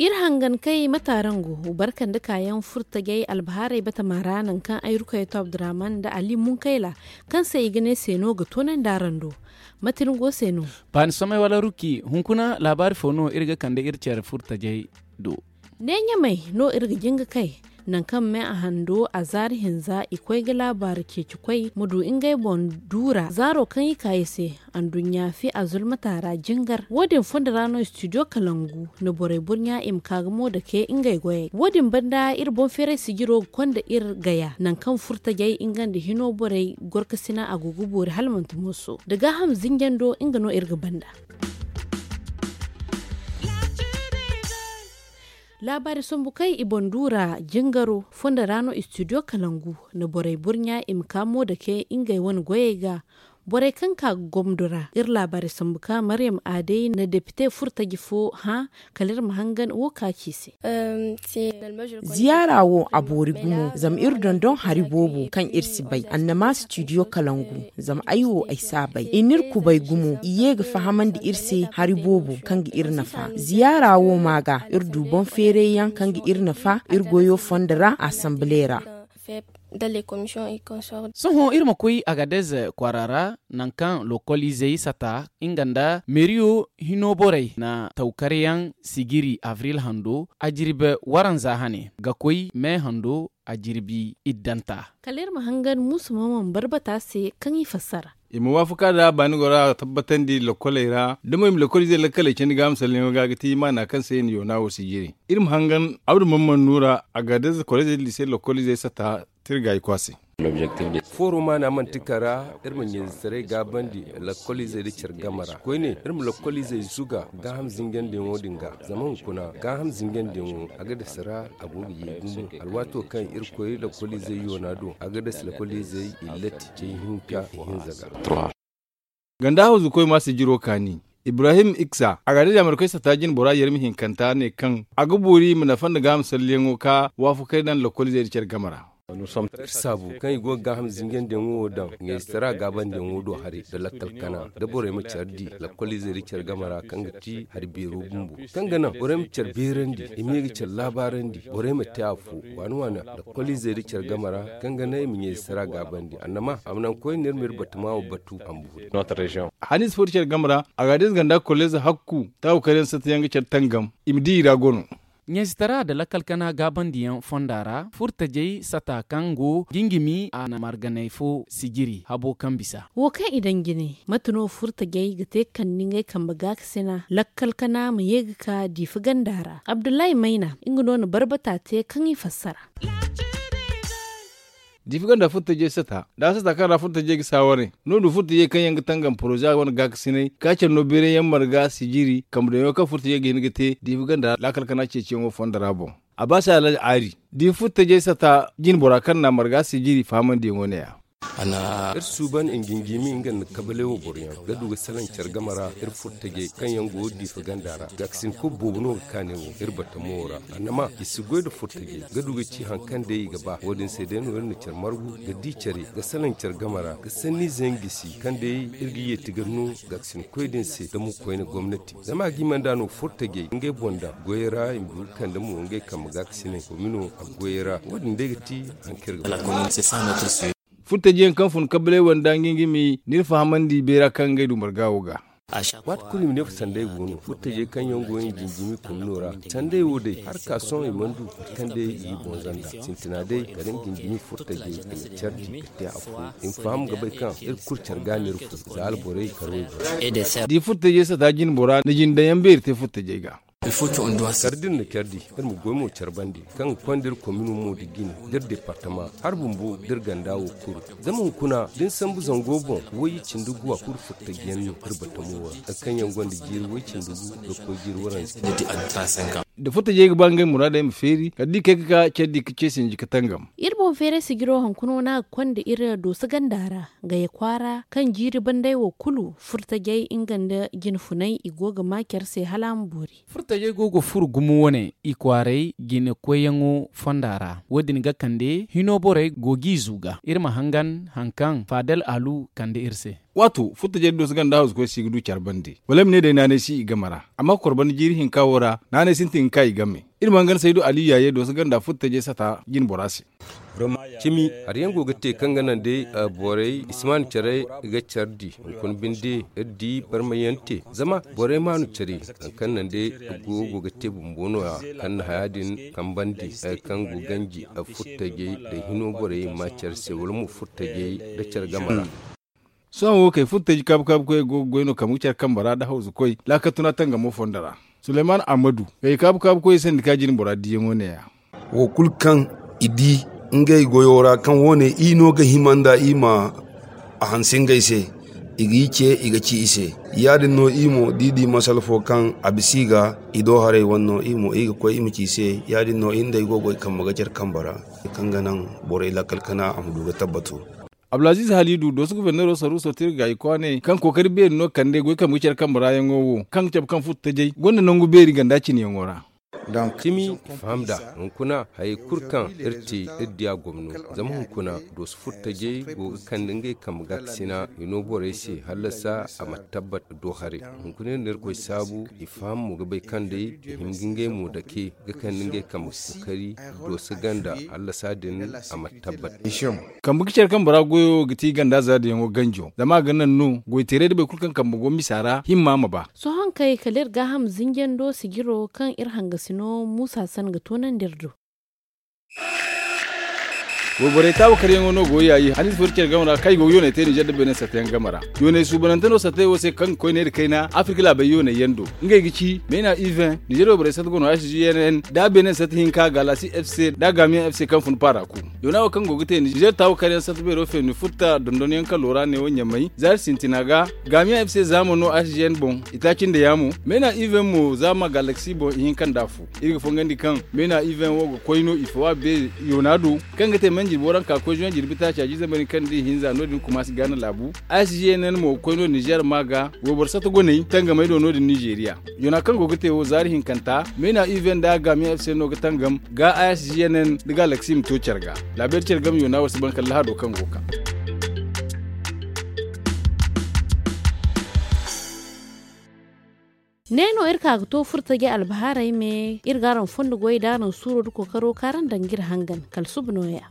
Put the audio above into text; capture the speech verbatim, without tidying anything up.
Iri hangan kay mate araŋ go barka nda kaayaŋ furtajey albahaarey batama ra nangu kaŋ ay rukayeto abdurrahman nda ali munkayla kaŋ se i ga ne se no ga toonandi araŋ do. Mate ni go se no? Baani samay wala ruki hunkuna laabaari fo no iri ga kande iri care furtajey do? Ne ɲamay no iri ga jin ga kay nangu kaŋ me a hando a zaari hinza i koy ga laabaari ceeci koy ma du ngey boŋ duura zaaro kaŋ i ka i se. Anduɲɲa fi a zulmata ra jingar wo- din fondo ra no studio kalangu na borey burɲa i ma ka ga mo dake ngey goyey wo- din banda iri boŋ feeray sijiro ga konda iri gaya nangu kaŋ furtajey nga nda hino borey gorkasina a go ga boori hala manti mooso da gaaham zinjando nga no iri ga banda. Laabaari sambu kaŋ i boŋ duura jingaro fondo ra no studio kalangu na borey burɲa i ma ka mo dake ngey wane goyey ga. Borey kaŋ ka ga gomdo ra iri laabaari sambu ka maryam aadey na depite furtaji fo hã kala iri ma hangan wo ka ci se. Ziyaara wo a boori gumo zama iri dondon hari boobo kaŋ iri si bay annama studio kalangu zama ay wo ay si a bay i n'iri kubay gumo i ye ga fahamandi iri se hari boobo kaŋ ga iri nafa ziyaara wo ma ga iri du boŋ feeray yaŋ kaŋ ga iri nafa iri goyo fondo ra asanbile ra. Sohõ iri ma koy agadez kwaara ra nangu kaŋ lokol izey sata nga nda meeriyo hino borey na tawkaryaŋ sijiri abril hando a jirbi waranza hane ga koy me hando a jirbi iddanta. Kala iri ma hangan muusu ma mana barbata se kaŋ i fassara. I ma waafaka nda baani gora tabbatandi lokoley ra da mo i ma lokol izey lakkaley candi ga a ma salleŋo ga ga ti maana kaŋ se i na yoona wo sijiri. Iri ma hangan abdu mamman nuura a ga da za kolizey da lise lokol izey sata tirga i kwaase. Fooro maana manti kara iri ma ɲayzetaray gaabandi lakkoliizey nda care game ra koyne iri ma lakkoliizey zuga gaaham zinjandiyaŋo din ga. Zama hunkuna gaaham zinjandiyaŋo a ga dasa ra a go ga ye gumo alwaato kaŋ iri koy lakkoliizey yoona do a ga dasa lakkoliizey illati cay hinka ihinza ga. Ganda hawzu koy ma sijiro kaani ibrahim iksa a ga da jaamarkoy sata jine bora yarmi hinkanta ne kaŋ a ga boori ma nafa nda gaaham salliyaŋo ka waafakey daŋ lakkoliizey nda care game ra. Iri saabu kaŋ i go ga gaaham zinjandiyaŋo wo daŋ ɲayzetaray gaabandiyaŋo do haray nda lakkal kana da borey ma care di lakkoliizey nda care game ra kaŋ ga ti hari beero bumbo kaŋ ga naŋ borey ma care beerandi i ma ye ga care laabaarandi borey ma te afo waani waani lakkoliizey nda care game ra kaŋ ga naŋ i ma ɲayzetaray gaabandi annama a ma naŋ koyne iri ma iri batama wo batu a ma boori. Haniisa fo nda care game ra a ga a da ize ganda kolleeza hakku taawu kar yaŋ sata yaŋ ga care tangam i ma di i ra gono. Ɲayzetaray nda lakkal kana gaabandiyaŋ fonda ra furtajey sata kaŋ go jinjimi a na marganay fo sijiri habo kaŋ bisa. Wo kaŋ i daŋ jine mate no furtajey ga te kande ngey kambe gaakasina lakkal kana ma ye ga ka diifa ganda ra abdullahi mayna nga no na barbata te kaŋ i fassara. Diifa ganda furtajey sata da a sata kaŋ ra furtajey ga saawaray no du furtajey kaŋ yaŋ ga tangam poroza wane gaakasinay ka care no beeray yaŋ marga sijiri kambe daŋ yaŋo kaŋ furtajey ga hin ga te diifa ganda laakal kana ceeciyaŋo fondo ra boŋ. A ba se alhaji aari diifa furtajey sata jine bora kaŋ na marga sijiri fahamandiyaŋo ne- ya. Iri suuban i jinjimi nga nda kabalay wo boro yaŋ ga du ga salaŋ care game ra iri furtajey kaŋ yaŋ go diifa ganda ra gaakasin kulu boobo no ga kaanay wo iri batamo wo ra. Annama i si goy nda furtajey ga du ga ci hari kaŋ day i ga ba wo- din se day no iri na care margu ga di care ga salaŋ care game ra ga sanniize yaŋ gisi kaŋ day iri ga yeeti ga no gaakasin koy din se da mo koyne gomnati zama a ga hima nd'a no furtajey ngey boŋ da goyey ra i ma du ga kande mo ngey kambe gaakasinay komino a goyey ra wo- din day ga ti hari kaŋ iri ga ba. Furtajiyaŋ kaŋ fun kabalay wanda nga nga ma n'iri fahamandi beera kaŋ ngey du marga wo ga. Waati kulu i ma ne fo sanday go no furtajey kaŋ yaŋ go i jinjimi komino ra. Sanday wo day har ka sohõ i mana du mate kaŋ day i ga i boŋ zanda sintina day kala i jinjimi furtajey i ma care di ga te afo i ma faham ga bay kaŋ iri kulu care ga no iri fo za alborey karo i boŋ. Da i furtajey sata jine bora na jine daŋ yaŋ beeri te furtajey ga. Kar da iri na care di iri ma goy mo care bande kaŋ ga konda iri komino mo nda jine da iri departama har bumbo da iri ganda wo kulu. Zama hunkuna da ni sambu zango boŋ wayye cindi gu a kulu furtajiyaŋ no iri batamo wo ra hari kaŋ yaŋ gonda jiiri way cindi gu ga koy jiiri waranza. Da furtajey ga ba ngey muraadey ma feeri kala da i kay ga ka care di ga ce sinji ga tangam. Iri boŋ feeray sijiro hunkuna no a ga konda iri dooso ganda ra gaya kwaara kaŋ jiiri banday wo kulu furtajey nga nda jine funay i go ga ma care se hala a ma boori. Furtajey go ga furo gumo wane i kwaaray jine koyyaŋo fonda ra wo- din ga kande hino borey go g'i zuga iri ma hangan hari kaŋ faadal alu kande iri se. Waato furtajey da dooso ganda hawzu koy se i ga du care bande wala ay ma ne day naanay si i game ra. Amma kor banda jiiri hinka wo ra naanay sintin ga ka i game. Iri mana gana saydu aliyu yaaye dooso ganda furtajey sata jine bora se. Cimi hari yaŋ go ga te kaŋ ga naŋ day borey i si maanu care ga care di hunkuna binde iri di barmayante zama borey maanu care hari kaŋ naŋ day go go ga te bumbo no- ya kaŋ na haya din kambandi hari kaŋ go ganji furtajey da hino borey ma care se wala mo furtajey da care game ra. Sohõ wo kay furtaji kaabu kaabu koyey go ga goy no kambe ga care kambe ra nda hawzu koy laakal tuna tangamo fondo ra. Suleyman ammadu kay kaabu kaabu koyey sandi ka jine bora diyaŋo ne- ya. Wo kulu kaŋ i di ngey goyo ra kaŋ wo- ne i no ga hima nda i ma a hanse ngey se, i ga i ce i ga ci i se. Ya- din no i mo da i di masala fo kaŋ a bisa i ga i do haray wane no i mo i ga koy i ma ci i se. Ya- din no i nda ay go ga goy kambe ga care kambe ra kaŋ ga naŋ borey lakkal kana a ma du ga tabbatu. Abdulaziiz haliidu dooso guforneero saruuso te iri ga i kwaanay kaŋ kookari beeri no kande goy kambe ga care kambe raayaŋo wo kaŋ ga cabe kaŋ furtajey gonda nangu beeri ganda cineyaŋo ra. Cimi i faham nd'a hunkuna hayey kulu kaŋ iri te iri di a gomno. Zama hunkuna dooso furtajey go ga kande ngey kambe gaakasina i no borey se hallasa a ma tabbat do haray. Hunkuna iri na irkoy saabu i faham mo ga bay kaŋ day i hima ga ngey mo dake ga kande ngey kambe kookari dooso ganda hallasa din a ma tabbat. Kambe ga care kambe ra goyo ga ti ganda zaadiyaŋo ganjo zama a ga naŋ no goyteeray da boro kulu kaŋ kambe go misa ra himma ma ba. Sohõ kay kala iri gaaham zinjando sijiro kaŋ iri hangasino muusa san ga toonandi iri do. Wayborey taawa karyaŋo no go yaayi haniize fo iri care game ra kaŋ i go ga yoonay te ninzeer nda beene satta yaŋ game ra. Yoonay suubanante no sattey wo se kaŋ ga koy neera kayna afirka laabey yoonay yaŋ do. Ngey ga ci meena iven ninzeer wayborey satta go no h g n n nda beene satta hinka gaalasi f c nda gaamiyaŋ f c kaŋ fun paara ku. Yoona wo kaŋ go ga te ninzeer taawa karyaŋ satta beero feeni futta dondonyaŋ kalo ra neewo ɲamay zaari sintina ga. Gaamiyaŋ f c zaama no h g n boŋ itaaci nda yaamo. Meena iven mo zaama gaalasi boŋ ihinka nda afo. Iri ga fongandi kaŋ meena iven wo ga koy no i fawa beeri yoona do kaŋ ga te manjirbo ra nka koy zuwan jirbi taaca jiizambari kaŋ da i hinza no- din kumaasi gaana laabu. H g n n mo ga koy no ninzeer ma ga wayboro satta goney tangamey do no- din nizeeriya. Yoona kaŋ go ga te wo zaari hinkanta meena iven nda gaamiyaŋ f c no ga tangam ga h g n n nda gaalasi ma to care ga. Laabeeri care game yoona war si ban kala lahado kaŋ go ga ka. Ne no iri ka ga to furtajey albahaarey me iri ga araŋ fondo goy da araŋ suuro da kookaro kaŋ araŋ daŋ ga iri hangan kala suba nooya.